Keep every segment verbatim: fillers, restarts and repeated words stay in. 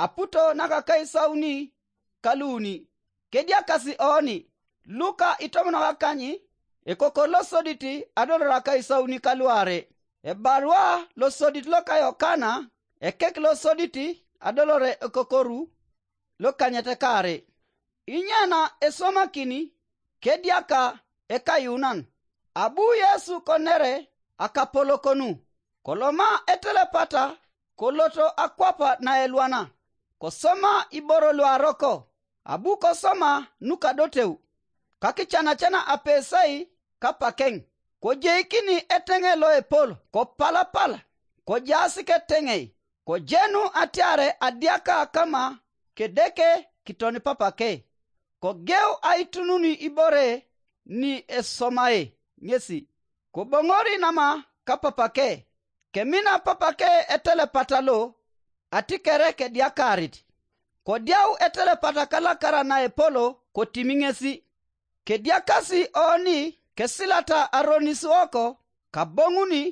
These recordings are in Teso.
aputo nakakaisauni kaluuni. Kediakasi oni luka itomonokakany ekokor losodit adolor akaisauni kaluarei. Ebarua losodit loka Yokana, ekek losodit adolore ekokoru lokanyet kaarei. Inyana esomakin kediaka ekayuunan. Abu Yesu konere akapolokonu, koloma etelepata koloto akwap naelwana, kosoma iboro luaroko, abu kosoma nukadoteu, kakichanachana apesai kapakeng, kojeikini eteŋe loepol kopalapal, kojaas keteŋei, kojenu atiare adiaka kama kedeke kiton papake, kogeu aitununi ibore ni esomae ŋesi, koboŋori nama kapapake, kemina papake etelepata lo atikere kediakarit. Kodiau etelepata kalakara naepolo kotimi ŋesi. Kediakasi oni kesilata aronis woko kaboŋuni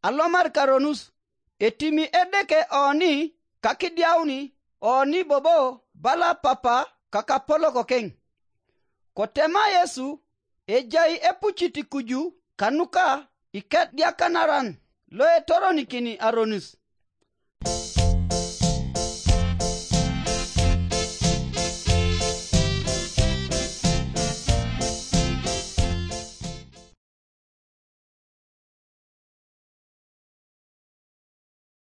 alomar karonus, etimi Edeke oni kakidiauni oni bobo bala papa kakapolok keŋ. Kotema Yesu, ejai epucit kuju kanuka ikediakanaran loetoronikin aronis.